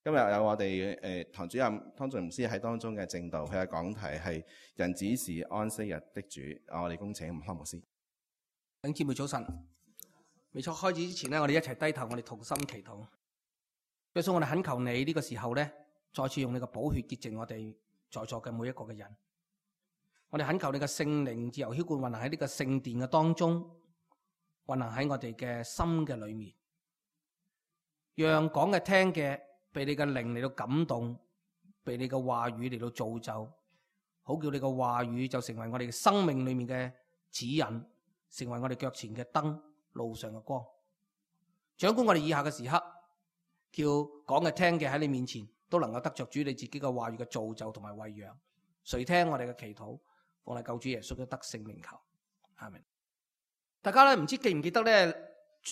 今日有我哋堂主任湯俊牧師喺當中嘅證道，佢嘅講題係人子是安息日的主。我哋恭請湯牧師。弟兄姊妹早晨，未錯開始之前呢，我哋一齊低頭，我哋同心祈禱。耶穌，我哋懇求你呢個時候呢，再次用你嘅寶血潔淨我哋在座嘅每一個嘅人。我哋懇求你嘅聖靈自由澆灌運行喺呢個聖殿嘅當中，運行喺我哋嘅心嘅裏面，讓講嘅聽嘅被你嘅靈嚟到感動，被你嘅話語嚟到造就，好叫你嘅話語就成為我哋嘅生命裏面嘅指引，成為我哋腳前嘅燈，路上嘅光。掌管我哋以下嘅時刻，叫講嘅聽嘅喺你面前都能夠得着主你自己嘅話語嘅造就同埋餵養。垂聽我哋嘅祈禱，奉我哋救主耶穌嘅得勝名求，阿們。大家咧唔知記唔記得咧？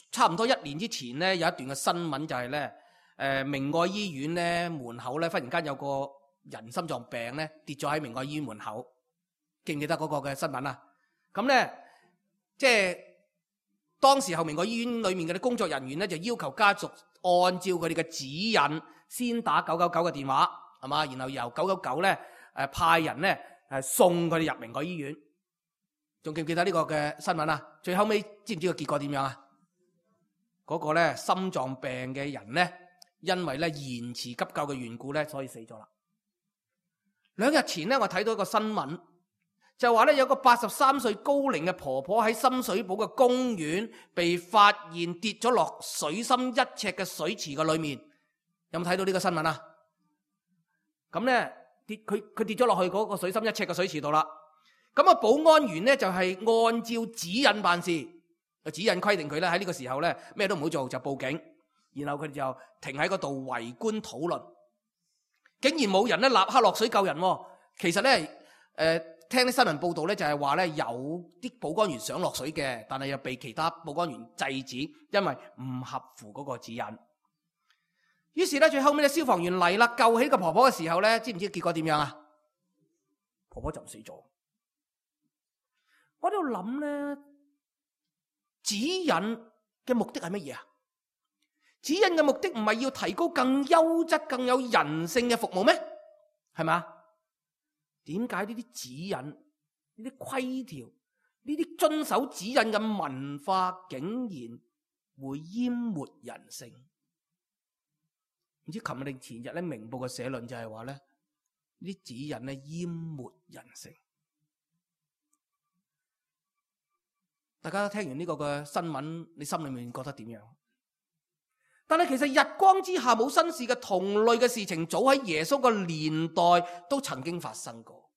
差唔多1年之前咧，有一段嘅新聞就係咧，明愛醫院咧門口咧忽然間有個人心臟病咧跌咗喺明愛醫院門口，記唔記得嗰個嘅新聞啊？咁咧即係當時候明愛醫院裏面嘅啲工作人員咧就要求家族按照佢哋嘅指引，先打999嘅電話，係嘛？然後由999咧派人咧送佢哋入明愛醫院。仲記唔記得呢個嘅新聞啊？最後尾知唔知個結果點樣啊？嗰個咧心臟病嘅人咧，因為咧延遲急救嘅緣故咧，所以死咗啦。2日前咧，我睇到一個新聞，就話咧有個83歲高齡嘅婆婆喺深水埗嘅公園被發現跌咗落水深1尺嘅水池嘅裏面。有冇睇到呢個新聞啊？咁咧佢跌咗落去嗰個水深1尺嘅水池度啦。咁啊，保安員咧就係按照指引辦事，指引規定佢咧喺呢個時候咧咩都唔好做，就報警。然後佢哋就停喺嗰度圍觀討論，竟然冇人咧立刻落水救人。其實咧聽啲新聞報道咧就係話咧有啲保安員想落水嘅，但係又被其他保安員制止，因為唔合乎嗰個指引。於是咧最後尾咧消防員嚟啦，救起個婆婆嘅時候咧，知唔知結果點樣啊？婆婆就死咗。我喺度諗咧，指引嘅目的係乜嘢啊？指引嘅目的唔係要提高更優質、更有人性嘅服務咩？係咪？點解呢啲指引、呢啲規條、呢啲遵守指引嘅文化，竟然會淹沒人性？唔知琴日定前日咧，明報嘅社論就係話咧，呢啲指引咧淹沒人性。大家聽完呢個嘅新聞，你心裏面覺得點樣？但係其實日光之下冇新事嘅同類嘅事情，早喺耶穌嘅年代都曾經發生過。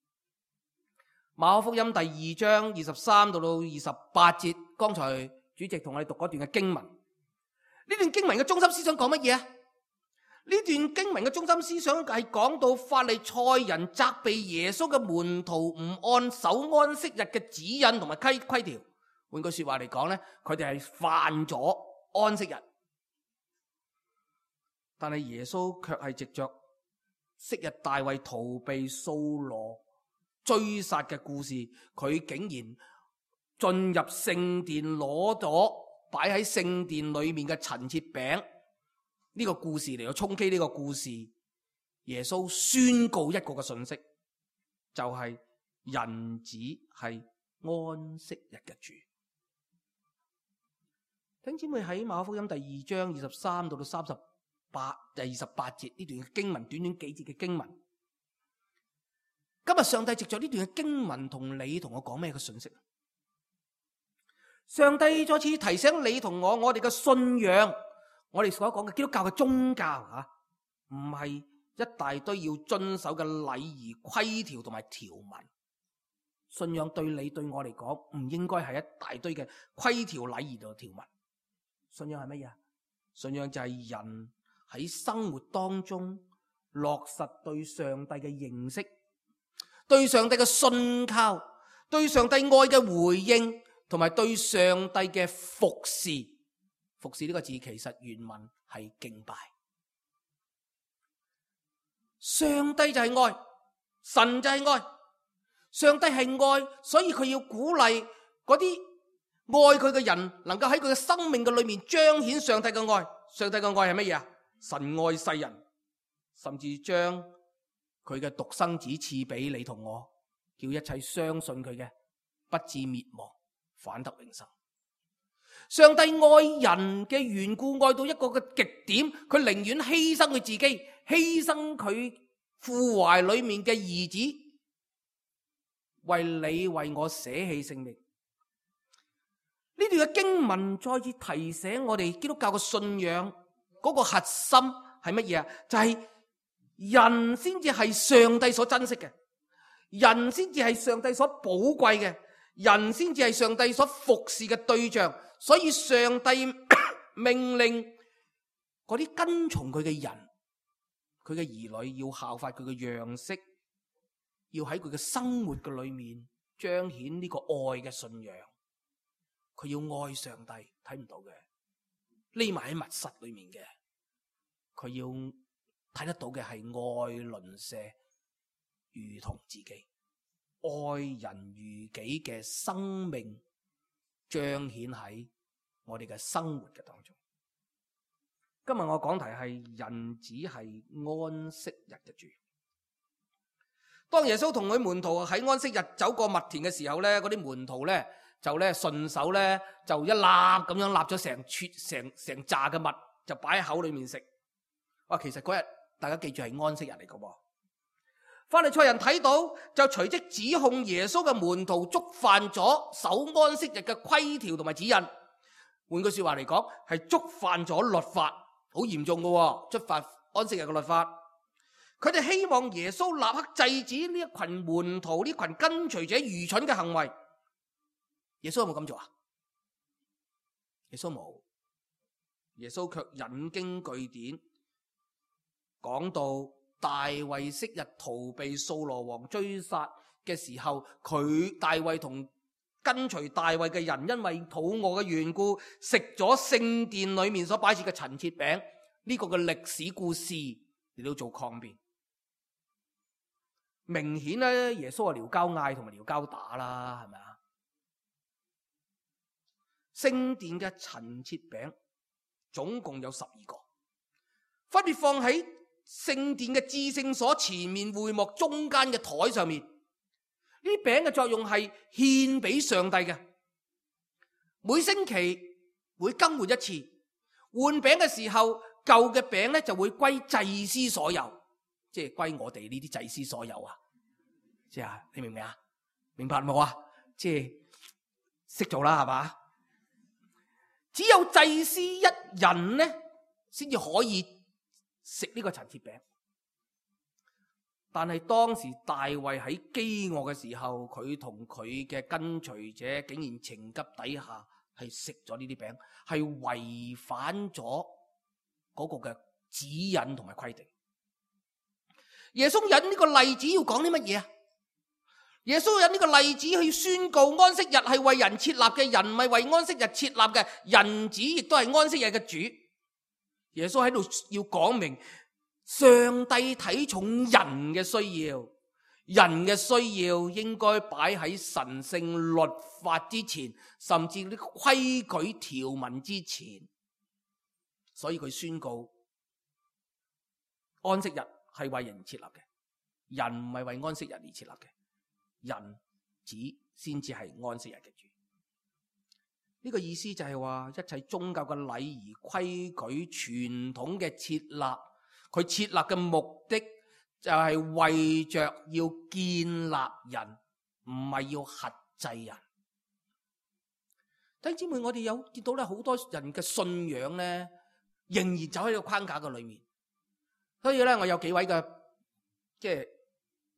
馬可福音第2章23到28節，剛才主席同我哋讀嗰段嘅經文。呢段經文嘅中心思想講乜嘢啊？呢段經文嘅中心思想係講到法利賽人責備耶穌嘅門徒唔按守安息日嘅指引同埋規條。換句說話嚟講咧，佢哋係犯咗安息日，但係耶穌卻係藉着昔日大衛逃避掃羅追殺嘅故事，佢竟然進入聖殿攞咗擺喺聖殿裏面嘅陳設餅呢個故事嚟到衝擊呢個故事。耶穌宣告一個嘅信息，就係人子係安息日嘅主。弟兄姊妹，喺馬可福音第2章23到28第28節呢段嘅經文，短短幾節嘅經文，今日上帝藉着呢段嘅經文同你同我講咩嘅信息？上帝再次提醒你同我哋嘅信仰，我哋所講嘅基督教嘅宗教吓，唔係一大堆要遵守嘅禮儀規條同埋條文。信仰對你對我嚟講，唔應該係一大堆嘅規條禮儀同條文。信仰係乜嘢？信仰就係人喺生活當中落實對上帝嘅認識，對上帝嘅信靠，對上帝愛嘅回應，同埋對上帝嘅服侍。服侍呢個字其實原文係敬拜。上帝就係愛，神就係愛。上帝係愛，所以佢要鼓勵嗰啲愛佢嘅人能夠喺佢嘅生命嘅裏面彰顯上帝嘅愛。上帝嘅愛係乜嘢啊？神愛世人，甚至將佢嘅獨生子賜俾你同我，叫一切相信佢嘅不至滅亡，反得永生。上帝愛人嘅緣故，愛到一個嘅極點，佢寧願犧牲佢自己，犧牲佢父懷裏面嘅兒子，為你為我捨棄性命。呢段嘅經文再次提醒我哋基督教嘅信仰嗰個核心係乜嘢啊？就係人先至係上帝所珍惜嘅，人先至係上帝所寶貴嘅，人先至係上帝所服侍嘅對象。所以上帝命令嗰啲跟從佢嘅人，佢嘅兒女要效法佢嘅樣式，要喺佢嘅生活嘅裏面彰顯呢個愛嘅信仰。佢要愛上帝，睇唔到嘅，匿埋喺密室裏面嘅，佢要睇得到嘅係愛鄰舍如同自己，愛人如己嘅生命彰顯喺我哋嘅生活嘅當中。今日我講題係人子係安息日嘅主。當耶穌同佢門徒喺安息日走過麥田嘅時候咧，嗰啲門徒咧就咧順手咧就一粒咁樣立咗成紮嘅麥，就擺喺口裏面食。哇！其實嗰日大家記住係安息日嚟嘅喎。法利賽人睇到就隨即指控耶穌嘅門徒觸犯咗守安息日嘅規條同埋指引。換句說話嚟講，係觸犯咗律法，好嚴重嘅喎，觸犯安息日嘅律法。佢哋希望耶穌立刻制止呢一群門徒、呢群跟隨者愚蠢嘅行為。耶穌有冇咁做啊？耶穌冇，耶穌卻引經據典，講到大衛昔日逃避掃羅王追殺嘅時候，大衛同跟隨大衛嘅人因為肚餓嘅緣故，食咗聖殿裏面所擺設嘅陳設餅，呢個嘅歷史故事嚟到做抗辯。明顯咧，耶穌係撩交嗌同埋撩交打啦，係咪啊？聖殿嘅陳設餅總共有12個，分別放喺聖殿嘅至聖所前面會幕中間嘅台上面。呢啲餅嘅作用係獻俾上帝嘅，每星期會更換一次。換餅嘅時候，舊嘅餅咧就會歸祭司所有，即係歸我哋呢啲祭司所有啊！即係你明唔明啊？明白冇啊？即係識做啦，係嘛？只有祭司一人咧，先至可以食呢個陳設餅。但係當時大衛喺飢餓嘅時候，佢同佢嘅跟隨者竟然情急底下係食咗呢啲餅，係違反咗嗰個嘅指引同埋規定。耶穌引呢個例子要講啲乜嘢啊？耶穌引呢個例子去宣告安息日係為人設立嘅，人唔係為安息日設立嘅，人子亦都係安息日嘅主。耶穌喺度要講明上帝睇重人嘅需要，人嘅需要應該擺喺神聖律法之前，甚至啲規矩條文之前。所以佢宣告安息日係為人設立嘅，人唔係為安息日而設立嘅，人子先至係安息日嘅主。呢個意思就係話，一切宗教嘅禮儀規矩傳統嘅設立，佢設立嘅目的就係為着要建立人，唔係要轄制人。弟兄姊妹，我哋有見到咧，好多人嘅信仰咧，仍然走喺個框架嘅裏面。所以咧，我有幾位嘅即係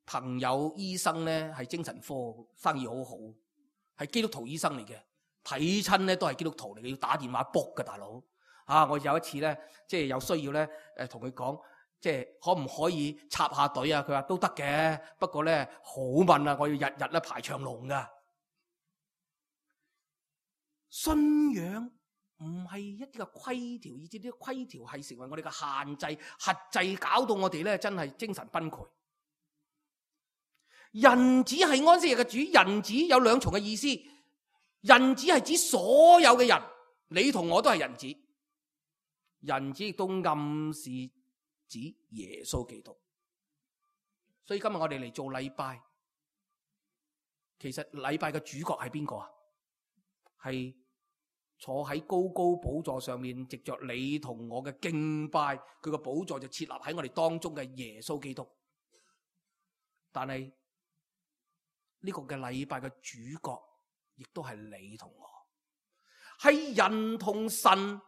朋友醫生咧，係精神科生意好好，係基督徒醫生嚟嘅，睇親咧都係基督徒嚟嘅，要打電話卜嘅大佬。我有一次咧，即係有需要咧，同佢講，即係可唔可以插下隊啊？佢話都得嘅，不過咧好問啊，我要日日咧排長龍噶。信仰唔係一啲嘅規條，以至啲規條係成為我哋嘅限制、轄制，搞到我哋咧真係精神崩潰。人子係安息日嘅主，人子有兩重嘅意思。人子係指所有嘅人，你同我都係人子。人子亦都暗示指耶穌基督。所以今日我哋嚟做禮拜，其實禮拜嘅主角係邊個啊？係坐喺高高寶座上面，藉着你同我嘅敬拜，佢個寶座就設立喺我哋當中嘅耶穌基督。但係呢個嘅禮拜嘅主角，亦都係你同我，係人同神，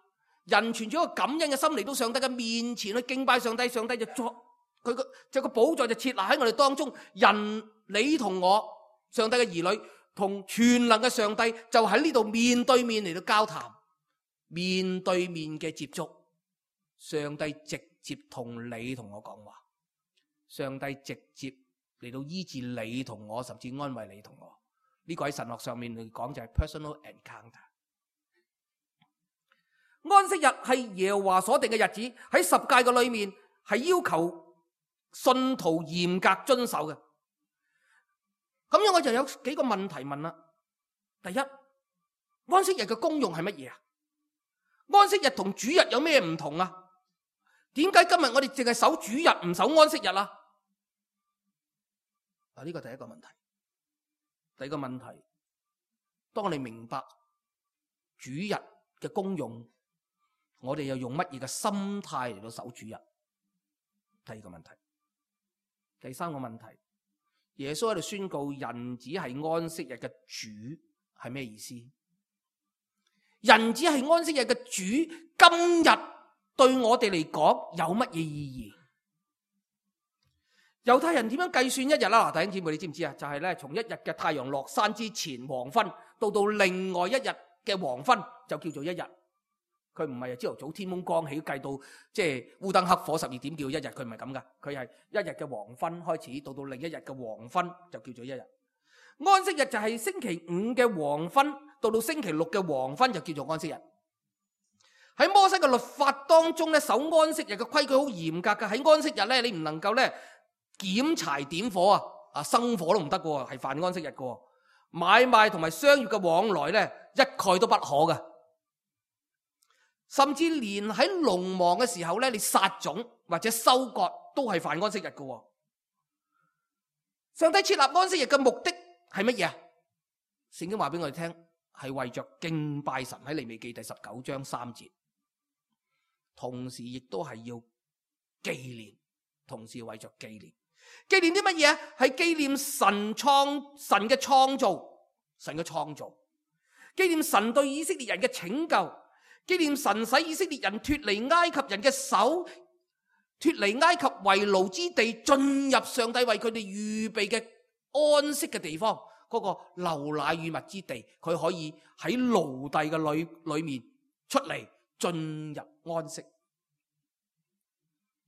人存住一個感恩嘅心嚟到上帝嘅面前去敬拜上帝，上帝就作佢個寶座就設立喺我哋當中，人你同我，上帝嘅兒女同全能嘅上帝就喺呢度面對面嚟到交談，面對面嘅接觸，上帝直接同你同我講話，上帝直接嚟到醫治你同我，甚至安慰你同我。呢個喺神學上面嚟講就係 personal encounter。安息日係耶和華所定嘅日子，喺十誡嘅裏面係要求信徒嚴格遵守嘅。咁樣我就有幾個問題問啦。第一，安息日嘅功用係乜嘢啊？安息日同主日有咩唔同啊？點解今日我哋淨係守主日唔守安息日啊？呢個第一個問題。第二個問題，當你明白主日嘅功用，我哋又用乜嘢嘅心態嚟到守主日？第二個問題。第三個問題，耶穌喺度宣告人子係安息日嘅主，係咩意思？人子係安息日嘅主，今日對我哋嚟講有乜嘢意義？猶太人點樣計算一日啦？弟兄姊妹，你知唔知啊？就係咧，從一日嘅太陽落山之前黃昏，到另外一日嘅黃昏就叫做一日。佢唔係朝頭早天蒙光起計到即係烏燈黑火12點叫一日，佢唔係咁噶。佢係一日嘅黃昏開始，到另一日嘅黃昏就叫做一日。安息日就係星期5嘅黃昏，到星期6嘅黃昏就叫做安息日。喺摩西嘅律法當中咧，守安息日嘅規矩好嚴格嘅。喺安息日咧，你唔能夠咧檢柴點火啊，生火都唔得嘅，係犯安息日嘅。買賣同埋商業嘅往來咧，一概都不可嘅。甚至連喺農忙嘅時候咧，你撒種或者收割都係犯安息日嘅。上帝設立安息日嘅目的係乜嘢啊？聖經話俾我哋聽，係為着敬拜神，喺利未記第19章3節。同時亦都係要紀念，同時為着紀念。紀念啲乜嘢？係紀念神嘅創造，神嘅創造，紀念神對以色列人嘅拯救，紀念神使以色列人脫離埃及人嘅手，脫離埃及為奴之地，進入上帝為佢哋預備嘅安息嘅地方，嗰個流奶與蜜之地，佢可以喺奴隸嘅裏面出嚟，進入安息。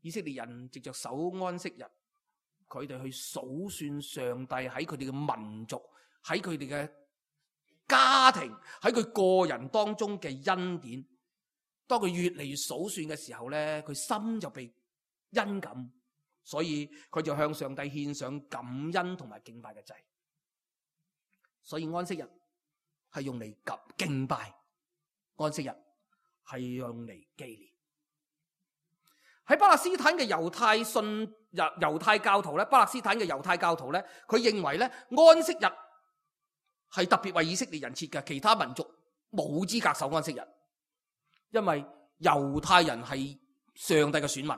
以色列人藉着守安息日，佢哋去數算上帝喺佢哋嘅民族，喺佢哋嘅家庭，喺佢個人當中嘅恩典。當佢越嚟越數算嘅時候咧，佢心就被恩感，所以佢就向上帝獻上感恩同埋敬拜嘅祭。所以安息日係用嚟敬拜，安息日係用嚟紀念。喺巴勒斯坦嘅猶太教徒咧，巴勒斯坦嘅猶太教徒咧，佢認為咧安息日係特別為以色列人設嘅，其他民族冇資格守安息日，因為猶太人係上帝嘅選民，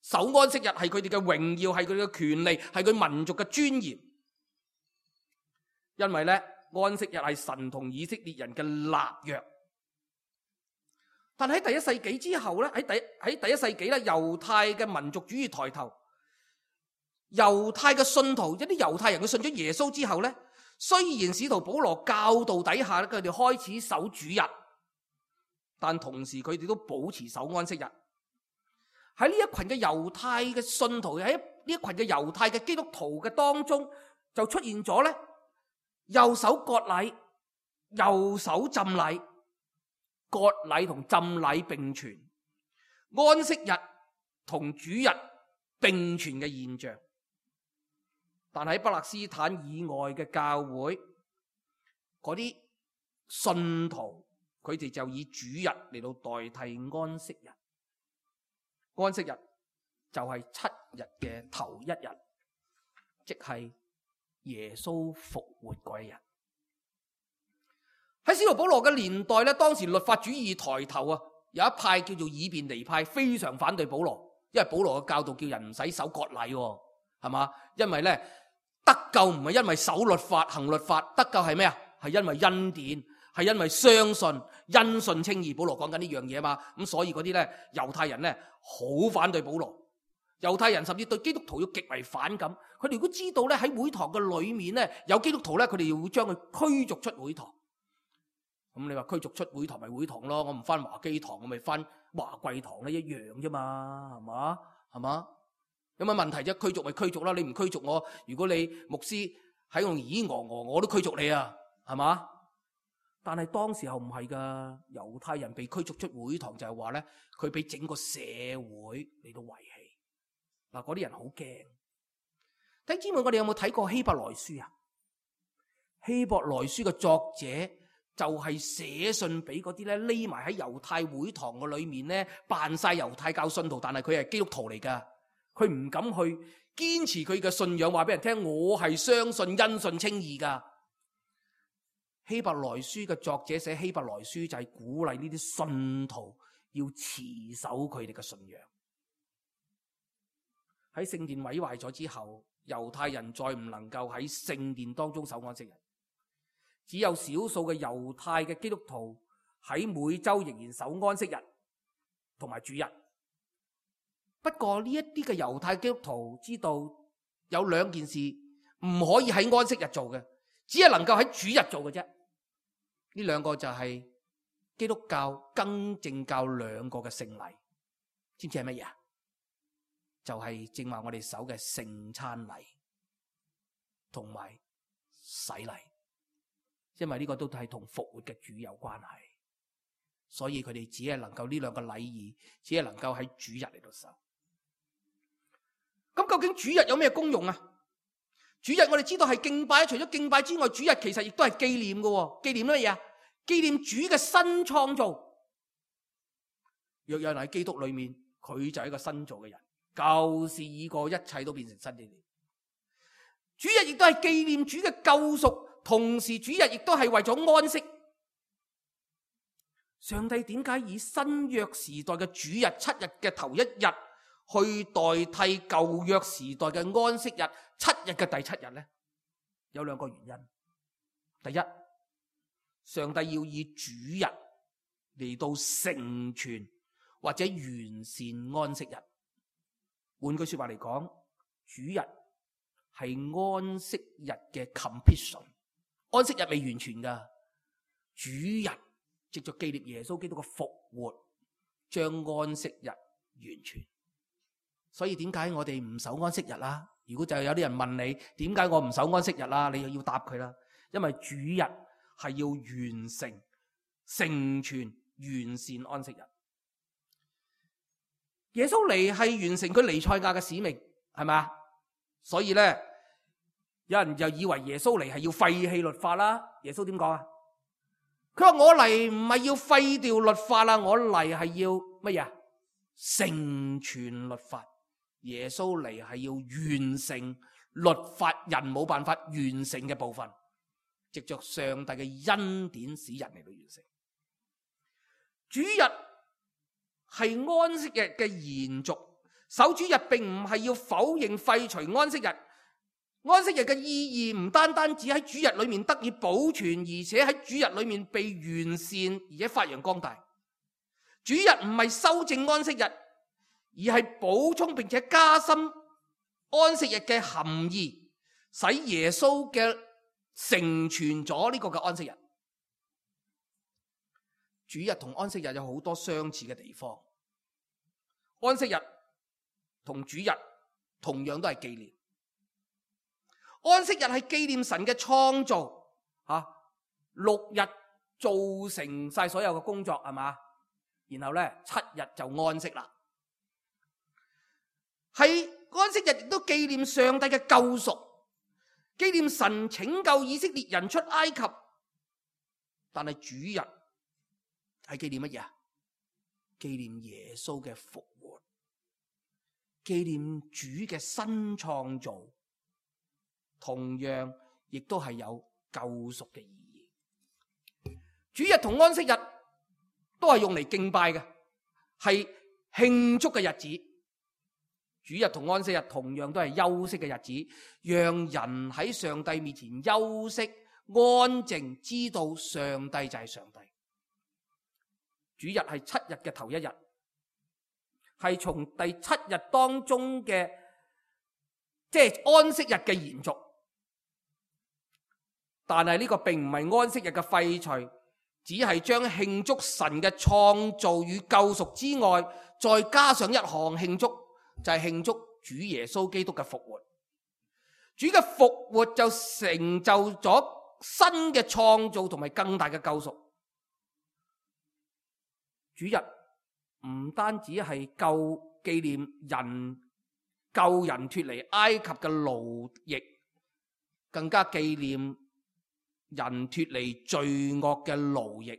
守安息日係佢哋嘅榮耀，係佢哋嘅權利，係佢民族嘅尊嚴。因為咧安息日係神同以色列人嘅立約。但喺第一世紀之後咧，喺第一世紀咧，猶太嘅民族主義抬頭，猶太嘅信徒，一啲猶太人佢信咗耶穌之後咧，雖然使徒保羅教導底下咧，佢哋開始守主日，但同時佢哋都保持守安息日。喺呢一群嘅猶太嘅信徒，喺呢一群嘅猶太嘅基督徒嘅當中，就出現咗咧，又守割禮，又守浸禮。割禮同浸禮並存，安息日同主日並存嘅現象。但喺巴勒斯坦以外嘅教會，嗰啲信徒佢哋就以主日嚟到代替安息日。安息日就係7日嘅頭一日，即係耶穌復活嗰一日。喺使徒保羅嘅年代咧，當時律法主義抬頭啊，有一派叫做以便尼派，非常反對保羅，因為保羅嘅教導叫人唔使守割禮，係嘛？因為咧得救唔係因為守律法行律法，得救係咩啊？係因為恩典，係因為相信，因信稱義。保羅講緊呢樣嘢嘛，咁所以嗰啲咧猶太人咧好反對保羅，猶太人甚至對基督徒要極為反感。佢哋如果知道咧喺會堂嘅裏面咧有基督徒咧，佢哋會將佢驅逐出會堂。咁你話驅逐出會堂咪會堂咯，我唔翻華基堂，我咪翻華貴堂咧，一樣啫嘛，係嘛？係嘛？有乜問題啫？驅逐咪驅逐啦，你唔驅逐我，如果你牧師喺度咿咿我都驅逐你啊，係嘛？但係當時候唔係噶，猶太人被驅逐出會堂就係話咧，佢俾整個社會嚟到遺棄。嗱，嗰啲人好驚。弟兄姊妹，我哋有冇睇過希伯來書啊？希伯來書嘅作者就係寫信俾嗰啲咧匿埋喺猶太會堂嘅裏面咧扮晒猶太教信徒，但係佢係基督徒嚟噶，佢唔敢去堅持佢嘅信仰，話俾人聽我係相信因信稱義噶。希伯來書嘅作者寫希伯來書就係鼓勵呢啲信徒要持守佢哋嘅信仰。喺聖殿毀壞咗之後，猶太人再唔能夠喺聖殿當中守安息日，只有少數嘅猶太嘅基督徒喺每周仍然守安息日同埋主日。不過呢一啲嘅猶太基督徒知道有兩件事唔可以喺安息日做嘅，只係能夠喺主日做嘅啫。呢兩個就係基督教更正教兩個嘅聖禮，知唔知係乜嘢啊？就係正話我哋守嘅聖餐禮同埋洗禮，因為呢個都係同復活嘅主有關係，所以佢哋只係能夠呢兩個禮儀，只係能夠喺主日嚟到守。咁究竟主日有咩功用啊？主日我哋知道係敬拜，除咗敬拜之外，主日其實亦都係紀念嘅。紀念乜嘢啊？紀念主嘅新創造。若有人喺基督裏面，佢就係一個新造嘅人，舊事已過，一切都變成新的了。主日亦都係紀念主嘅救贖，同時主日亦都係為咗安息。上帝點解以新約時代嘅主日7日嘅頭一日去代替舊約時代嘅安息日7日嘅第7日呢？有兩個原因。第一，上帝要以主日嚟到成全或者完善安息日。換句說話嚟講，主日係安息日嘅 completion， 安息日未完全噶，主日藉着紀念耶穌基督嘅復活，將安息日完全。所以點解我哋唔守安息日啦？如果就有啲人問你點解我唔守安息日啦，你又要答佢啦。因為主日係要完成、成全、完善安息日。耶穌嚟係完成佢彌賽亞嘅使命，係咪啊？所以咧，有人就以為耶穌嚟係要廢棄律法啦。耶穌點講啊？佢話我嚟唔係要廢掉律法啦，我嚟係要乜嘢？成全律法。耶穌嚟係要完成律法人冇辦法完成嘅部分，藉着上帝嘅恩典使人嚟到完成。主日係安息日嘅延續，守主日並唔係要否認廢除安息日。安息日嘅意義唔單單只喺主日裏面得以保存，而且喺主日裏面被完善而且發揚光大。主日唔係修正安息日，而係補充並且加深安息日嘅含義，使耶穌嘅成全咗呢個嘅安息日。主日同安息日有好多相似嘅地方。安息日同主日同樣都係紀念。安息日係紀念神嘅創造，6日做成晒所有嘅工作，係嘛？然後咧7日就安息啦。係安息日亦都紀念上帝嘅救贖，紀念神拯救以色列人出埃及。但係主日係紀念乜嘢啊？紀念耶穌嘅復活，紀紀念主嘅新創造，同樣亦都係有救贖嘅意義。主日同安息日都係用嚟敬拜嘅，係慶祝嘅日子。主日同安息日同樣都係休息嘅日子，讓人喺上帝面前休息、安靜，知道上帝就係上帝。主日係7日嘅頭一日，係從第7日當中嘅即係安息日嘅延續。但係呢個並唔係安息日嘅廢除，只係將慶祝神嘅創造與救贖之外，再加上一項慶祝，就係慶祝主耶穌基督嘅復活。主嘅復活就成就咗新嘅創造同埋更大嘅救贖。主日唔單止係紀念人救人脫離埃及嘅奴役，更加紀念人脫離罪惡嘅奴役。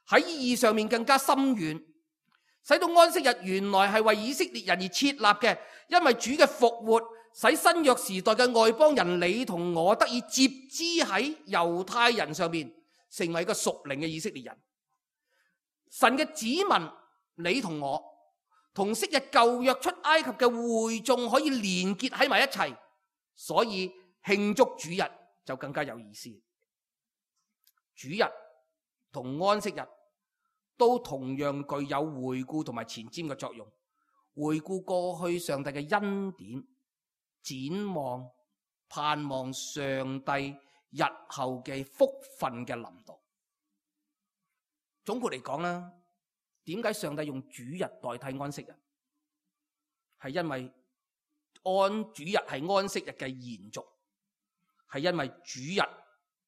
喺意義上面更加深遠，使到安息日原來係為以色列人而設立嘅，因為主嘅復活使新約時代嘅外邦人你同我得以接枝喺猶太人上面，成為一個屬靈嘅以色列人。神嘅子民你同我同昔日舊約出埃及嘅會眾可以連結喺埋一齊，所以慶祝主日就更加有意思。主日同安息日都同樣具有回顧同埋前瞻嘅作用，回顧過去上帝嘅恩典，展望盼望上帝日後嘅福分嘅臨到。總括嚟講啦，點解上帝用主日代替安息日？係因為主日係安息日嘅延續，係因為主日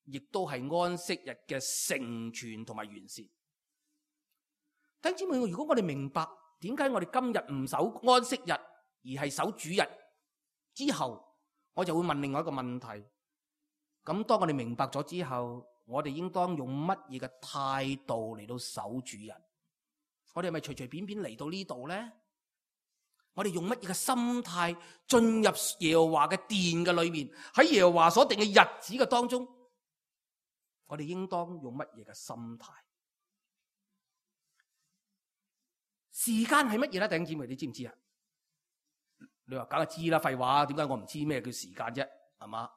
亦都係安息日嘅成全同埋完善。弟兄姊妹，如果我哋明白點解我哋今日唔守安息日而係守主日之後，我就會問另外一個問題。咁當我哋明白咗之後，我哋應當用乜嘢嘅態度嚟到守主日？我哋係咪隨隨便便嚟到呢度呢？我哋用乜嘢嘅心態進入耶和華嘅殿嘅裏面？喺耶和華所定嘅日子嘅當中，我哋應當用乜嘢嘅心態？時間係乜嘢咧？弟兄姊妹，你知唔知啊？你話梗係知啦，廢話，點解我唔知咩叫時間啫？係嘛？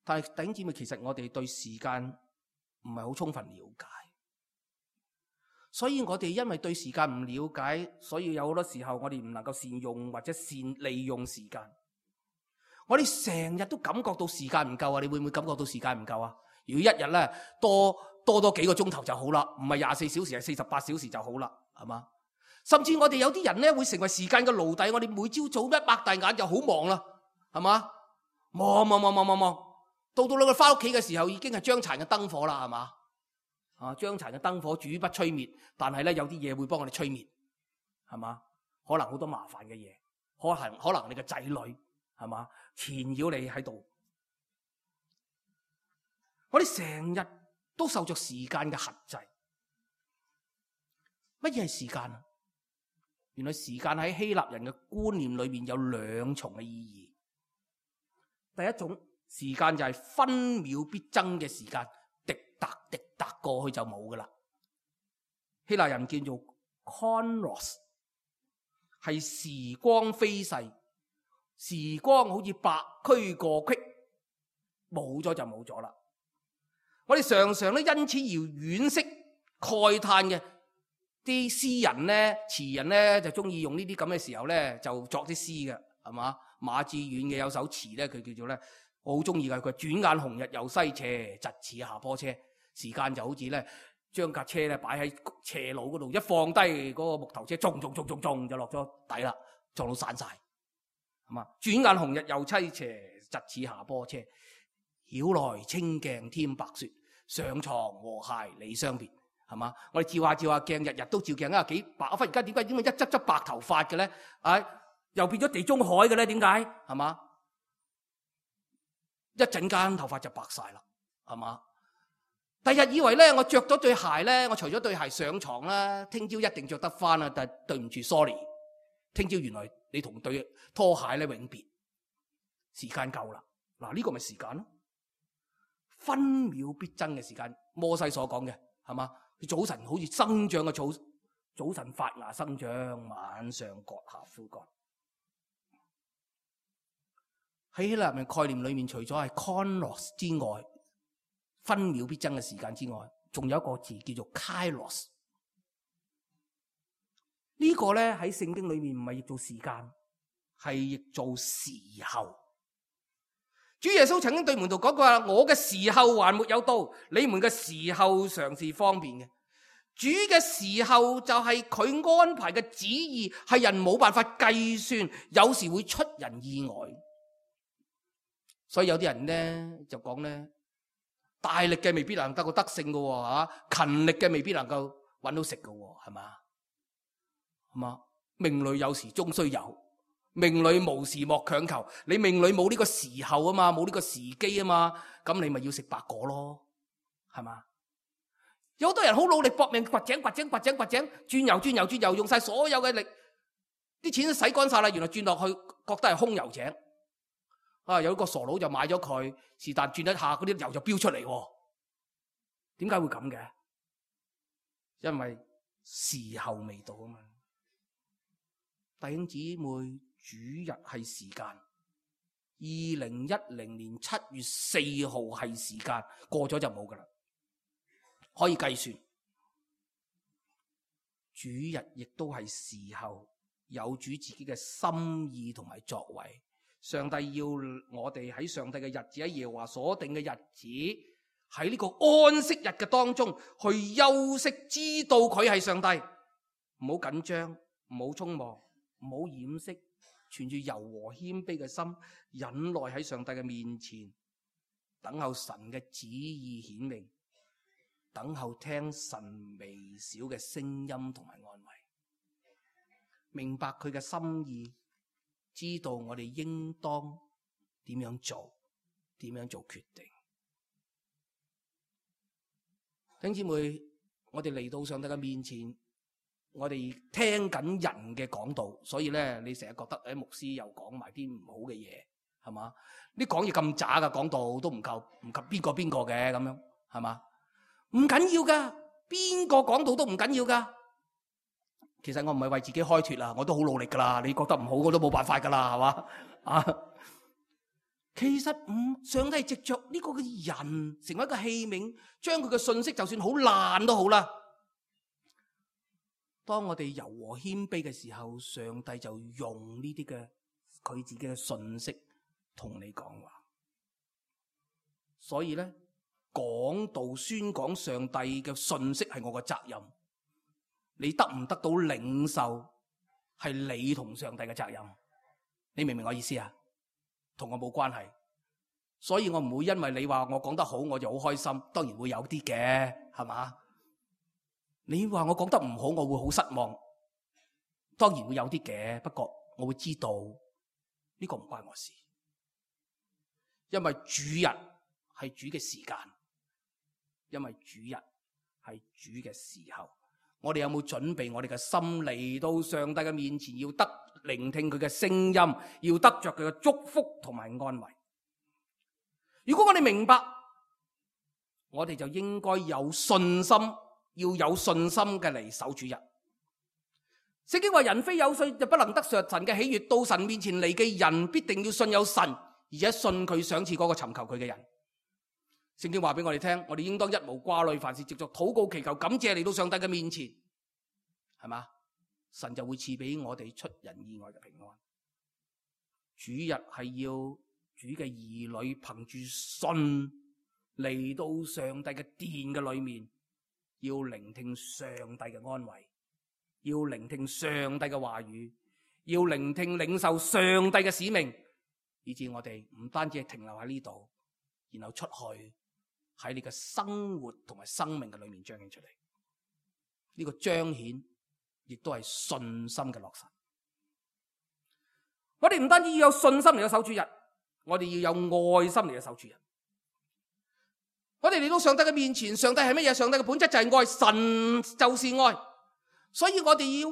但係弟兄姊妹，其實我哋對時間唔係好充分了解，所以我哋因為對時間唔了解，所以有好多時候我哋唔能夠善用或者利用時間。我哋成日都感覺到時間唔夠啊！你會唔會感覺到時間唔夠啊？如果一日咧多幾個鐘頭就好啦，唔係24小時，係48小時就好啦，係嘛？甚至我哋有啲人咧會成為時間嘅奴隸，我哋每朝早一擘大眼就好忙啦，係嘛？忙。到你哋翻屋企嘅時候，已經係將殘嘅燈火啦，係嘛？將殘嘅燈火煮不吹滅，但係咧有啲嘢會幫我哋吹滅，係嘛？可能好多麻煩嘅嘢，可能你嘅仔女，係嘛？纏繞你喺度。我哋成日都受着時間嘅轄制。乜嘢係時間啊？原來時間喺希臘人嘅觀念裏面有兩重嘅意義。第一種時間就係分秒必爭嘅時間，滴答過去就冇噶啦。希臘人叫做 chronos， 係時光飛逝，時光好似白駒過隙，冇咗就冇咗啦。我哋常常咧因此而惋惜慨嘆嘅。啲詩人咧、詞人咧就中意用呢啲咁嘅時候咧，就作啲詩嘅，係嘛？馬致遠嘅有首詞咧，佢叫做咧，我好中意嘅。佢轉眼紅日又西斜，疾似下坡車。時間就好似咧，將架車咧擺喺斜路嗰度，一放低嗰個木頭車，撞就落咗底啦，撞到散晒，係嘛？轉眼紅日又西斜，疾似下坡車。曉來清鏡添白雪，上床和諧理相別。係嘛？我哋照下鏡，日日都照鏡啊！幾白啊！忽然間點解一執白頭髮嘅咧？又變咗地中海嘅咧？點解？係嘛？一陣間頭髮就白晒啦，係嘛？第日以為咧，我着咗對鞋咧，我除咗對鞋上床啦，聽朝一定着得翻啊！但係對唔住 ，sorry，聽朝原來你同對拖鞋咧永別，時間夠啦。嗱，呢個咪時間咯，分秒必爭嘅時間。摩西所講嘅係嘛？佢早晨好似生長嘅草，早晨發芽生長，晚上割下枯乾。喺希臘人概念裏面，除咗係 chronos 之外，分秒必爭嘅時間之外，仲有一個字叫做 kairos。呢個咧喺聖經裏面唔係譯做時間，係譯做時候。主耶穌曾經對門徒講過話：我嘅時候還沒有到，你們嘅時候常是方便嘅。主嘅時候就係佢安排嘅旨意，係人冇辦法計算，有時會出人意外。所以有啲人咧就講咧，大力嘅未必能夠得勝嘅喎，勤力嘅未必能夠搵到食嘅喎，係嘛？係嘛？命裏有時終須有，命裏無時莫強求。你命裏冇呢個時候啊嘛，冇呢個時機啊嘛，咁你咪要食白果咯，係嘛？有好多人好努力搏命掘井，轉油，用晒所有嘅力，啲錢都洗乾晒啦，原來轉落去覺得係空油井。有一個傻佬就買咗佢，是但轉一下，嗰啲油就飆出嚟。點解會咁嘅？因為時候未到啊嘛。弟兄姊妹，主日係時間，2010年7月4號係時間，過咗就冇噶啦，可以計算。主日亦都係時候，有主自己嘅心意同埋作為。上帝要我哋喺上帝嘅日子，喺耶和華所定嘅日子，喺呢個安息日嘅當中去休息，知道佢係上帝，唔好緊張，唔好匆忙，唔好掩飾，存住柔和謙卑嘅心，忍耐喺上帝嘅面前，等候神嘅旨意顯明，等候聽神微小嘅聲音同埋安慰，明白佢嘅心意。知道我哋應當點樣做，點樣做決定。弟兄姊妹，我哋嚟到上帝嘅面前，我哋聽緊人嘅講道，所以咧，你成日覺得牧師又講埋啲唔好嘅嘢，係嘛？啲講嘢咁渣嘅講道都唔及邊個嘅咁樣，係嘛？唔緊要噶，邊個講道都唔緊要噶。其實我唔係為自己開脫啦，我都好努力噶啦。你覺得唔好，我都冇辦法噶啦，係嘛？其實上帝藉着呢個嘅人成為一個器皿，將佢嘅信息就算好爛都好啦。當我哋柔和謙卑嘅時候，上帝就用呢啲嘅佢自己嘅信息同你講話。所以咧，講道宣講上帝嘅信息係我嘅責任。你得唔得到領受，係你同上帝嘅責任。你明唔明我意思啊？同我冇關係，所以我唔會因為你話我講得好，我就好開心。當然會有啲嘅，係嘛？你話我講得唔好，我會好失望。當然會有啲嘅，不過我會知道呢個唔關我事，因為主日係主嘅時間，因為主日係主嘅時候。我哋有冇準備我哋嘅心嚟到上帝嘅面前，要得聆聽佢嘅聲音，要得着佢嘅祝福同埋安慰。如果我哋明白，我哋就應該有信心，要有信心嘅嚟守主日。聖經話人非有信就不能得着神嘅喜悅，到神面前嚟嘅人必定要信有神，而且信佢賞賜嗰個尋求佢嘅人。聖經話俾我哋聽，我哋應當一無掛慮，凡事藉著禱告祈求感謝嚟到上帝嘅面前，係嘛？神就會賜俾我哋出人意外嘅平安。主日係要主嘅兒女憑住信嚟到上帝嘅殿嘅裏面，要聆聽上帝嘅安慰，要聆聽上帝嘅話語，要聆聽領受上帝嘅使命，以致我哋唔單止係停留喺呢度，然後出去。喺你嘅生活同埋生命嘅裏面彰顯出嚟，呢個彰顯亦都係信心嘅落實。我哋唔單止要有信心嚟到守主日，我哋要有愛心嚟到守主日。我哋嚟到上帝嘅面前，上帝係乜嘢？上帝嘅本質就係愛，神就是愛，所以我哋要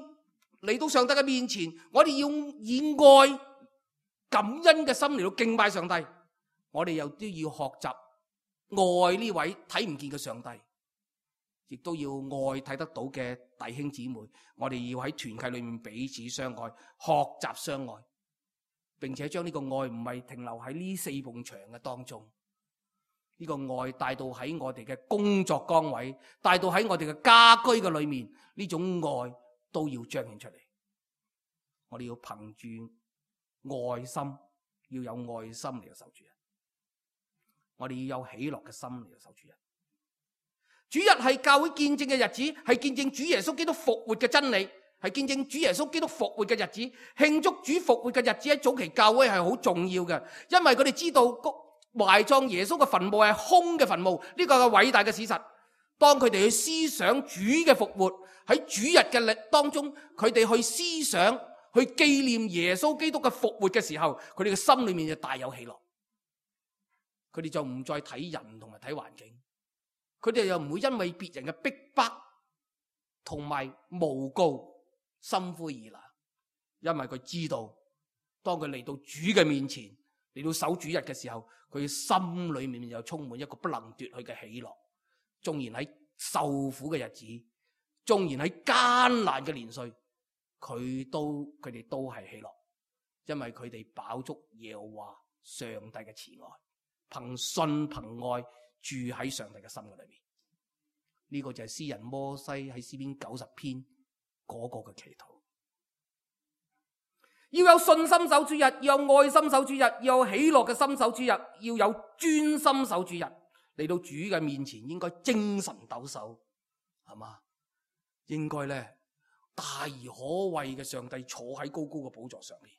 嚟到上帝嘅面前，我哋要以愛感恩嘅心嚟到敬拜上帝。我哋又都要學習愛呢位睇唔見嘅上帝，亦都要愛睇得到嘅弟兄姊妹。我哋要喺團契裏面彼此相愛，學習相愛，並且將呢個愛唔係停留喺呢4埲牆嘅當中，呢個愛帶到喺我哋嘅工作崗位，帶到喺我哋嘅家居嘅裏面，呢種愛都要彰顯出嚟。我哋要憑住愛心，要有愛心嚟到守主日。我哋要有喜樂嘅心嚟到守主日。主日係教會見證嘅日子，係見證主耶穌基督復活嘅真理，係見證主耶穌基督復活嘅日子。慶祝主復活嘅日子喺早期教會係好重要嘅，因為佢哋知道埋葬耶穌嘅墳墓係空嘅墳墓，呢個係偉大嘅事實。當佢哋去思想主嘅復活，喺主日嘅當中，佢哋去思想去紀念耶穌基督嘅復活嘅時候，佢哋嘅心裏面就大有喜樂。佢哋就唔再睇人同埋睇環境，佢哋又唔會因為別人嘅逼迫同埋誣告心灰意冷，因為佢知道當佢嚟到主嘅面前，嚟到守主日嘅時候，佢心裏面又充滿一個不能奪去嘅喜樂。縱然喺受苦嘅日子，縱然喺艱難嘅年歲，佢哋都係喜樂，因為佢哋飽足耶和華上帝嘅慈愛，憑信憑愛住喺上帝嘅心嘅裏面。呢個就係詩人摩西喺詩篇90篇嗰個嘅祈禱。要有信心守主日，要有愛心守主日，要有喜樂嘅心守主日，要有專心守主日。嚟到主嘅面前，應該精神抖擻，係嘛？應該咧大而可畏嘅上帝坐喺高高嘅寶座上面，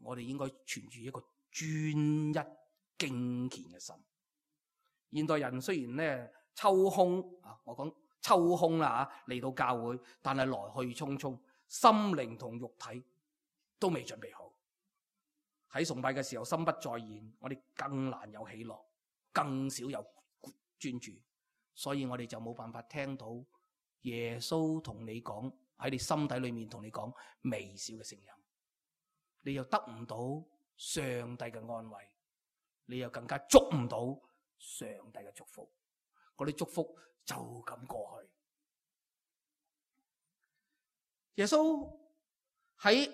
我哋應該存住一個專一敬虔嘅心。現代人雖然咧抽空啊，我講抽空啦吓，嚟到教會，但係來去匆匆，心靈同肉體都未準備好。喺崇拜嘅時候心不在焉，我哋更難有喜樂，更少有專注，所以我哋就冇辦法聽到耶穌同你講，喺你心底裏面同你講微小嘅聲音，你又得唔到上帝嘅安慰，你又更加捉唔到上帝嘅祝福，嗰啲祝福就咁過去。耶穌喺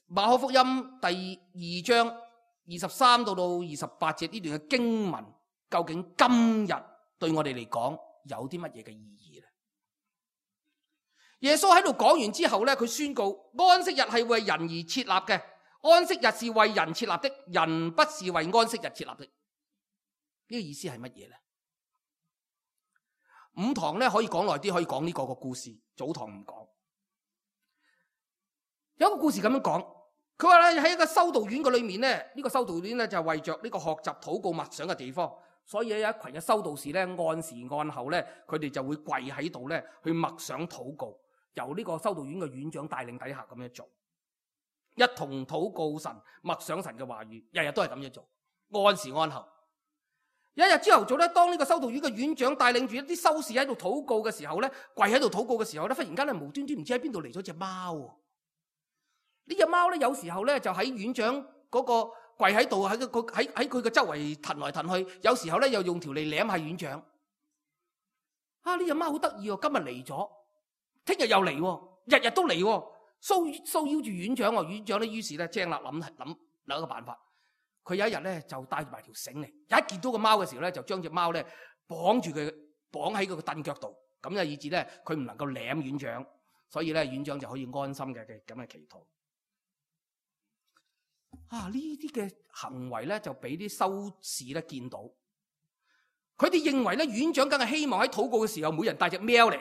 馬可福音第2章23到28節呢段嘅經文，究竟今日對我哋嚟講有啲乜嘢嘅意義呢？耶穌喺度講完之後咧，佢宣告安息日係為人而設立嘅，安息日是為人設立的，人不是為安息日設立的。呢個意思係乜嘢呢？午堂咧可以講耐啲，可以講呢個故事，早堂唔講。有一個故事咁樣講，佢話咧喺一個修道院嘅裏面咧，呢個修道院咧就係為着呢個學習禱告默想嘅地方，所以有一群嘅修道士咧按時按後咧，佢哋就會跪喺度咧去默想禱告，由呢個修道院嘅院長帶領底下咁樣做，一同禱告神，默想神嘅話語，日日都係咁樣做，按時按後。有一日朝頭早咧，當呢個修道院嘅院長帶領住一啲修士喺度禱告嘅時候咧，跪喺度禱告嘅時候咧，忽然間咧無端端唔知喺邊度嚟咗隻貓。呢隻貓咧有時候咧就喺院長嗰個跪喺度，喺佢嘅周圍騰來騰去，有時候咧又用條脷舐下院長。啊！呢隻貓好得意喎，今日嚟咗，聽日又嚟喎，日日都嚟喎，騷擾住院長喎。院長咧於是咧精啦諗一個辦法。佢有一日咧就帶住埋條繩嚟，一見到個貓嘅時候咧就將隻貓咧綁住佢，綁喺佢個凳腳度，咁就以致咧佢唔能夠舐院長，所以咧院長就可以安心嘅咁嘅祈禱。啊！呢啲嘅行為咧就俾啲修士咧見到，佢哋認為咧院長梗係希望喺禱告嘅時候每人帶隻貓嚟，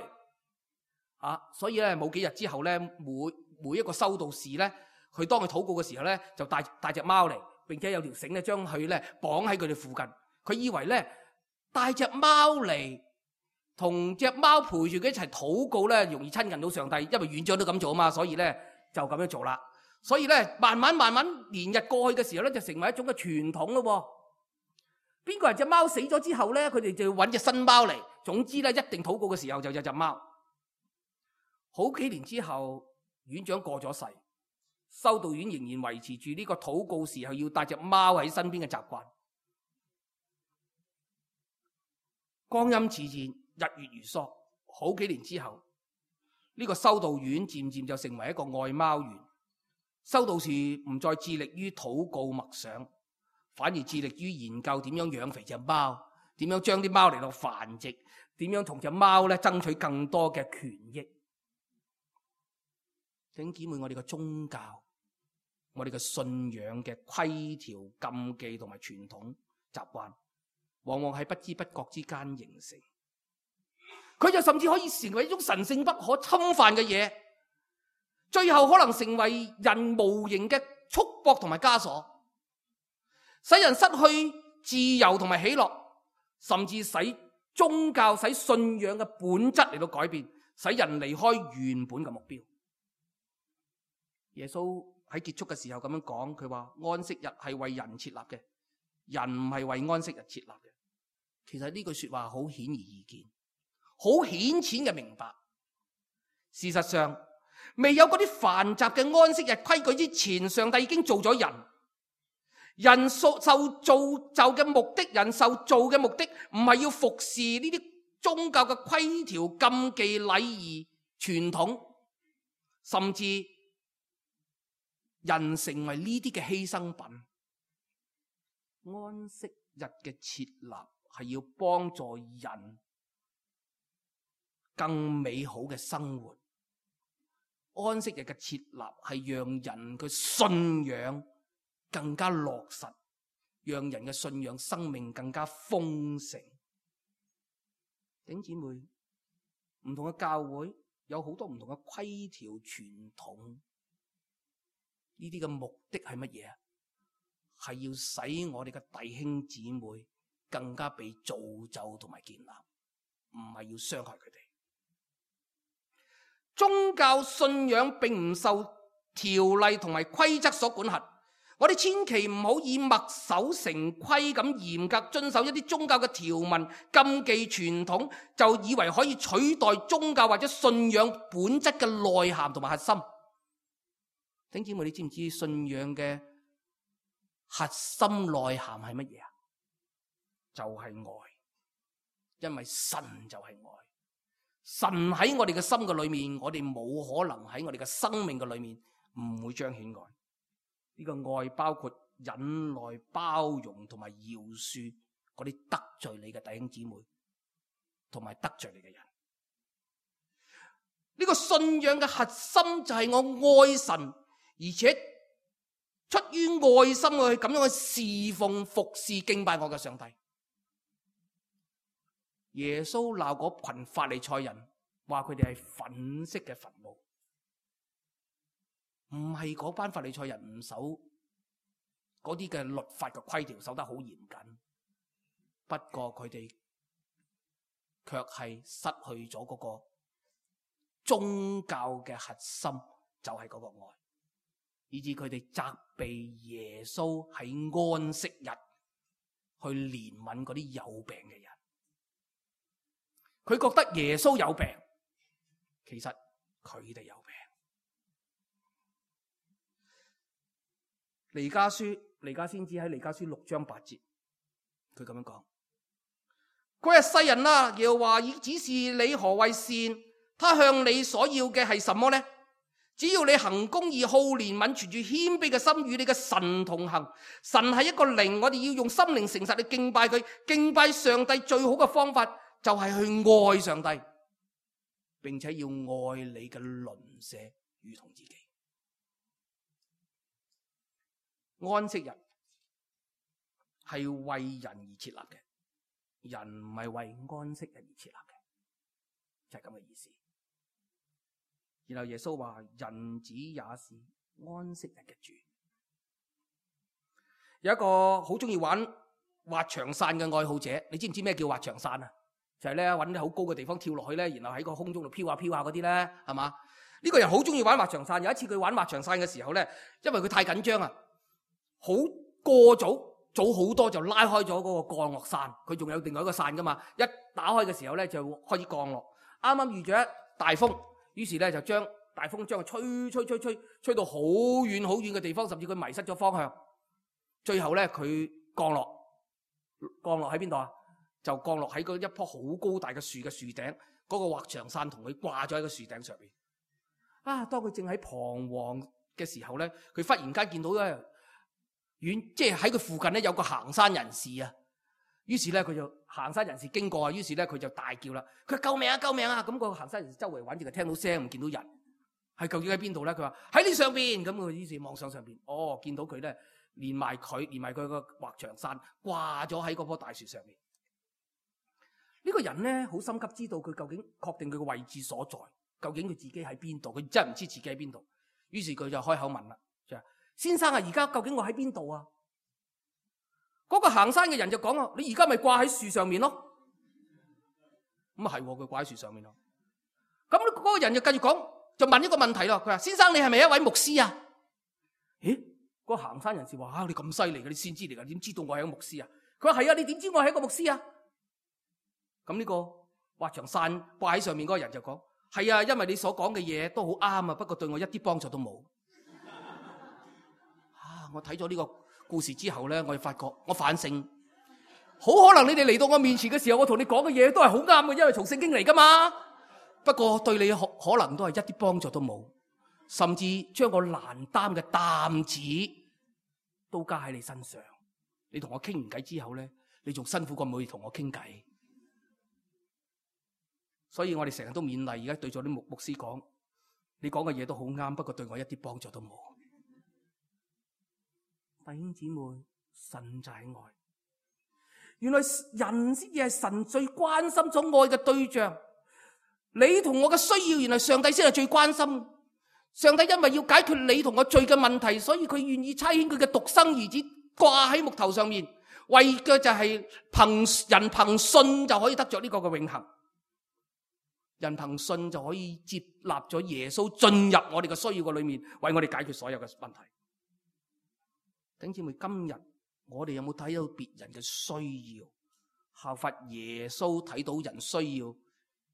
所以咧冇幾日之後咧每一個修道士咧，佢當佢禱告嘅時候咧就帶隻貓嚟，並且有條繩咧將佢咧綁喺佢哋附近。佢以為咧帶隻貓嚟同隻貓陪住佢一齊禱告咧容易親近到上帝，因為院長都咁做啊嘛，所以咧就咁樣做啦。所以咧慢慢年日過去嘅時候咧就成為一種嘅傳統咯。邊個人隻貓死咗之後咧，佢哋就要揾隻新貓嚟。總之咧一定禱告嘅時候就有隻貓。好幾年之後，院長過咗世，修道院仍然維持住呢個禱告時候要帶隻貓喺身邊嘅習慣。光陰似箭，日月如梭，好幾年之後，呢個修道院漸漸就成為一個愛貓園。修道士唔再致力於禱告默想，反而致力於研究點樣養肥隻貓，點樣將啲貓嚟到繁殖，點樣同隻貓咧爭取更多嘅權益。弟兄姊妹，我哋嘅宗教，我哋嘅信仰嘅規條、禁忌同埋傳統習慣，往往喺不知不覺之間形成，佢就甚至可以成為一種神聖不可侵犯嘅嘢，最後可能成為人無形嘅束縛同埋枷鎖，使人失去自由同埋喜樂，甚至使宗教、使信仰嘅本質嚟到改變，使人離開原本嘅目標。耶穌喺結束嘅時候咁樣講，佢話安息日係為人設立嘅，人唔係為安息日設立嘅。其實呢句說話好顯而易見，好顯淺嘅明白。事實上，未有嗰啲繁雜嘅安息日規矩之前，上帝已經做咗人。人受造就嘅目的，人受造嘅目的唔係要服侍呢啲宗教嘅規條、禁忌、禮儀、傳統，甚至人成為呢啲嘅犧牲品。安息日嘅設立係要幫助人更美好嘅生活。安息日嘅設立係讓人嘅信仰更加落實，讓人嘅信仰生命更加豐盛。弟兄姊妹，唔同嘅教會有好多唔同嘅規條傳統，呢啲嘅目的係乜嘢啊？係要使我哋嘅弟兄姊妹更加被造就同埋建立，唔係要傷害佢哋。宗教信仰並唔受條例同埋規則所管轄，我哋千祈唔好以墨守成規咁嚴格遵守一啲宗教嘅條文、禁忌、傳統，就以為可以取代宗教或者信仰本質嘅內涵同埋核心。弟兄姊妹，你知唔知信仰嘅核心內涵係乜嘢啊？就係愛，因為神就係愛。神喺我哋嘅心嘅裏面，我哋冇可能喺我哋嘅生命嘅裏面唔會彰顯愛。呢個愛包括忍耐、包容同埋饒恕嗰啲得罪你嘅弟兄姊妹，同埋得罪你嘅人。呢個信仰嘅核心就係我愛神，而且出於愛心去咁樣去侍奉、服侍、敬拜我嘅上帝。耶穌鬧嗰群法利賽人，話佢哋係粉色嘅墳墓，唔係嗰班法利賽人唔守嗰啲嘅律法嘅規條，守得好嚴謹。不過佢哋卻係失去咗嗰個宗教嘅核心，就係嗰個愛，以致佢哋責備耶穌喺安息日去憐憫嗰啲有病嘅人。佢覺得耶穌有病，其實佢哋有病。彌迦先知喺彌迦書6章8節，佢咁樣講：佢係世人啊，耶和華已指示你何為善，他向你所要嘅係什麼呢？只要你行公義、好憐憫、存住謙卑嘅心，與你嘅神同行。神係一個靈，我哋要用心靈誠實去敬拜佢。敬拜上帝最好嘅方法就係去愛上帝，並且要愛你嘅鄰舍如同自己。安息日係為人而設立嘅，人唔係為安息日而設立嘅，就係咁嘅意思。然後耶穌話：人子也是安息日嘅主。有一個好中意玩滑翔傘嘅愛好者，你知唔知咩叫滑翔傘啊？就係咧揾啲好高嘅地方跳落去咧，然後喺個空中度飄下飄下嗰啲咧，係嘛？呢個人好中意玩滑翔傘。有一次佢玩滑翔傘嘅時候咧，因為佢太緊張啊，好過早好多就拉開咗嗰個降落傘。佢仲有另外一個傘噶嘛，一打開嘅時候咧就開始降落。啱啱遇咗一大風，於是咧就將大風將佢吹到好遠好遠嘅地方，甚至佢迷失咗方向。最後咧，佢降落喺邊度啊？就降落喺嗰一棵好高大嘅樹嘅樹頂，嗰個滑翔傘同佢掛咗喺個樹頂上邊。當佢正喺彷徨嘅時候咧，佢忽然間見到咧即係喺佢附近咧有個行山人士啊。於是咧佢就行山人士經過啊，於是咧佢就大叫啦，佢話救命啊救命啊！咁個行山人士周圍揾住，就聽到聲唔見到人，係究竟喺邊度咧？佢話喺呢上邊。咁佢於是望上邊，見到佢咧連埋佢個滑翔傘掛咗喺嗰棵大樹上面。呢個人咧好心急知道佢究竟確定佢個位置所在，究竟佢自己喺邊度？佢真係唔知自己喺邊度。於是佢就開口問啦，就話先生啊，而家究竟我喺邊度啊？嗰個行山嘅人就講啊，你而家咪掛喺樹上面咯。咁啊係，佢掛喺樹上面咯。咁嗰個人就繼續講，就問一個問題咯。佢話：先生，你係咪一位牧師啊？咦？嗰個行山人士話：你咁犀利嘅，你先知嚟噶？點知道我係一個牧師啊？佢話：係啊，你點知我係一個牧師啊？咁呢個滑翔傘掛喺上面嗰個人就講：係啊，因為你所講嘅嘢都好啱啊，不過對我一啲幫助都冇。我睇咗呢個故事之後咧，我就發覺我反省，好可能你哋嚟到我面前嘅時候，我同你講嘅嘢都係好啱嘅，因為從聖經嚟噶嘛。不過對你可能都係一啲幫助都冇，甚至將個難擔嘅擔子都加喺你身上。你同我傾完偈之後咧，你仲辛苦過冇同我傾偈。所以我哋成日都勉勵，而家對咗啲牧師講，你講嘅嘢都好啱，不過對我一啲幫助都冇。弟兄姊妹，神就係愛，原來人先至係神最關心所愛嘅對象。你同我嘅需要，原來上帝先係最關心。上帝因為要解決你同我罪嘅問題，所以佢願意差遣佢嘅獨生兒子掛喺木頭上面，為嘅就係人憑信就可以得着呢個嘅永恆。人憑信就可以接納咗耶穌進入我哋嘅需要嘅裏面，為我哋解決所有嘅問題。弟兄姊妹，今日我哋有冇睇到別人嘅需要，效法耶穌睇到人需要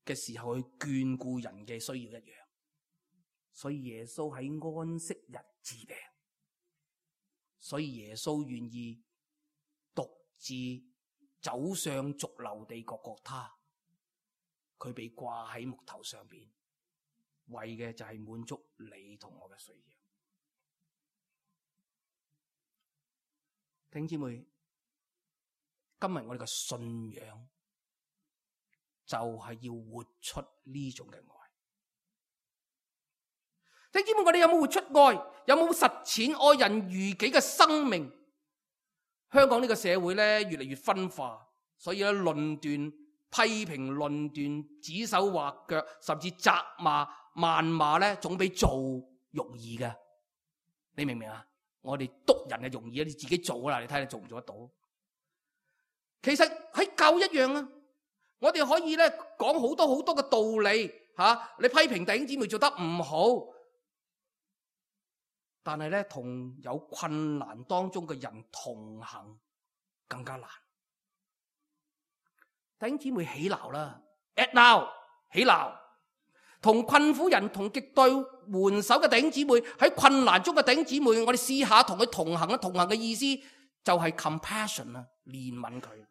嘅時候去眷顧人嘅需要一樣？所以耶穌喺安息日治病，所以耶穌願意獨自走上髑髏地各各他，佢被掛喺木頭上邊，為嘅就係滿足你同我嘅需要。弟兄姊妹，今日我哋嘅信仰就係要活出呢種嘅愛。弟兄姊妹，我哋有冇活出愛？有冇實踐愛人如己嘅生命？香港呢個社會咧越嚟越分化，所以咧論斷、批評、論斷、指手畫腳，甚至責罵、謾罵咧，總比做容易嘅。你明唔明啊？我哋督人係容易啊，你自己做啦，你睇下你做唔做得到？其實喺教一樣啊，我哋可以咧講好多好多嘅道理吓，你批評弟兄姊妹做得唔好，但係咧同有困難當中嘅人同行更加難。弟兄姊妹起鬧啦 ，at now 起鬧。同困苦人同極度援手嘅弟兄姊妹，喺困難中嘅弟兄姊妹，我哋試下同佢同行啦。同行嘅意思就係 compassion 啦，憐憫佢。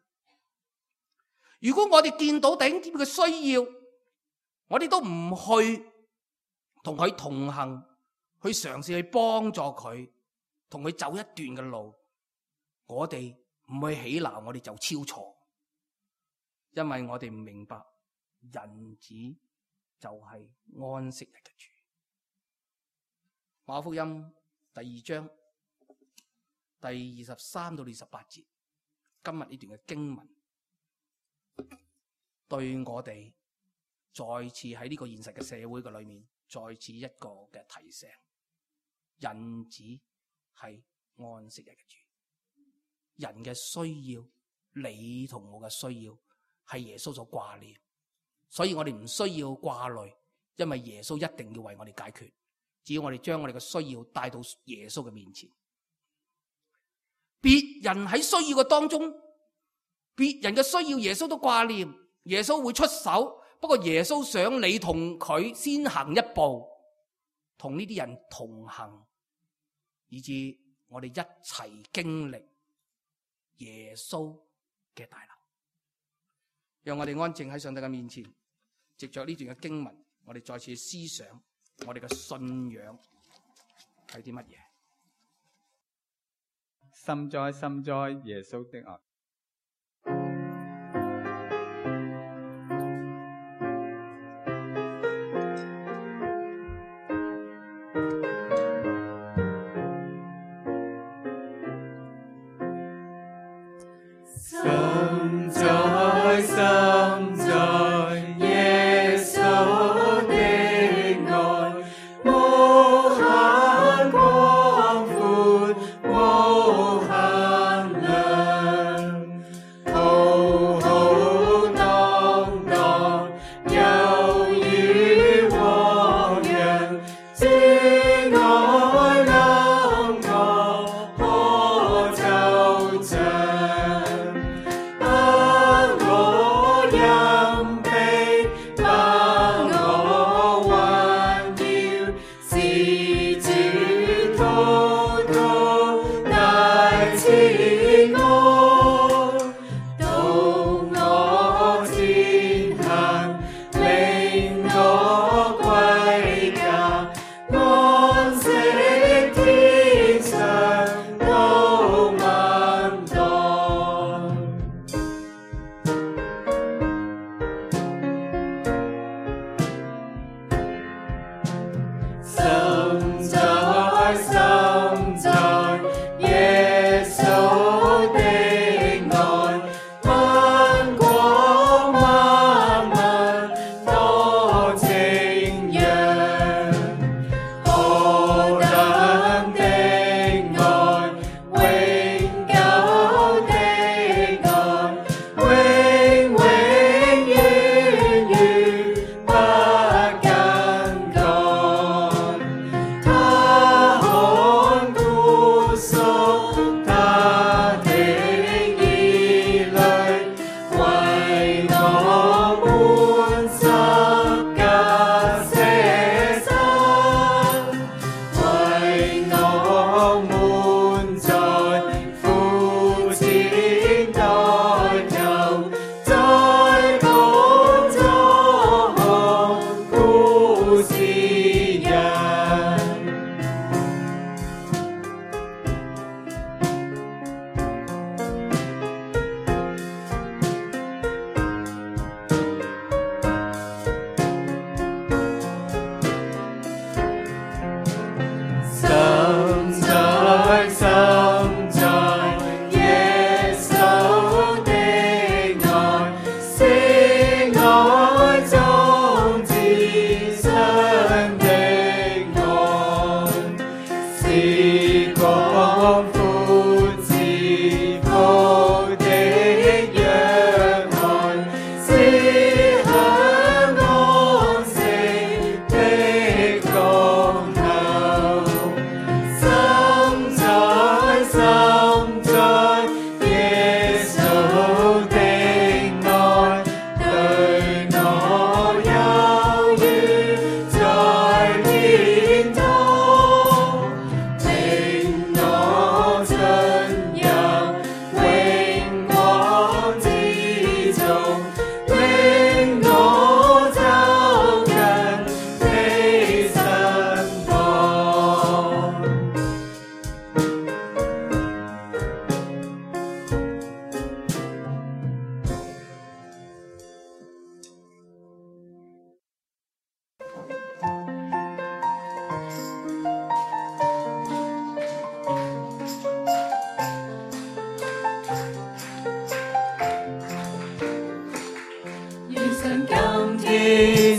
如果我哋見到弟兄姊妹嘅需要，我哋都唔去同佢同行，去嘗試去幫助佢，同佢走一段嘅路，我哋唔去起鬧，我哋就超錯，因為我哋唔明白人子就係安息日嘅主。馬可福音第2章第23到28節，今日呢段嘅經文對我哋再次喺呢個現實嘅社會嘅裏面，再次一個嘅提醒：人子係安息日嘅主。人嘅需要，你同我嘅需要，係耶穌所掛念。所以我哋唔需要掛慮，因為耶穌一定要為我哋解決。只要我哋將我哋嘅需要帶到耶穌嘅面前，別人喺需要嘅當中，別人嘅需要耶穌都掛念，耶穌會出手。不過耶穌想你同佢先行一步，同呢啲人同行，以致我哋一齊經歷耶穌嘅大能。讓我哋安靜喺上帝嘅面前，藉着呢段嘅經文，我哋再次思想我哋嘅信仰係啲乜嘢。深哉深哉耶穌的愛。深哉深哉耶穌的愛，無限廣闊，無限量，浩浩蕩蕩，猶如汪洋，主愛臨我可奏唱。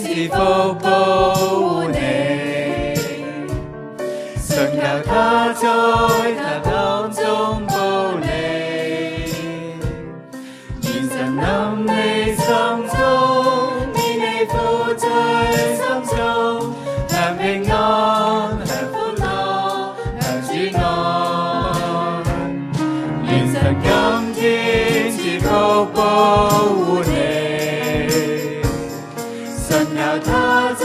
是福保護你，信靠他在他當中保你，願神臨你心中，免你負罪心中，享平安，享歡樂，享主愛，願神今天是福保護你。他在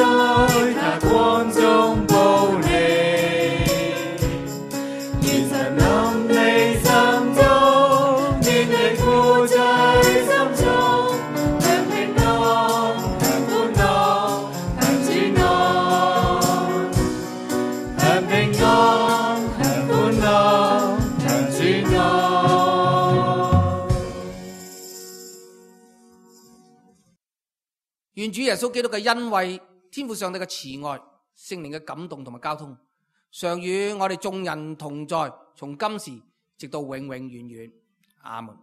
他光中保願主耶穌基督嘅恩惠、天父上帝嘅慈愛、聖靈嘅感動同埋交通，常與我哋眾人同在，從今時直到永永遠遠。阿門。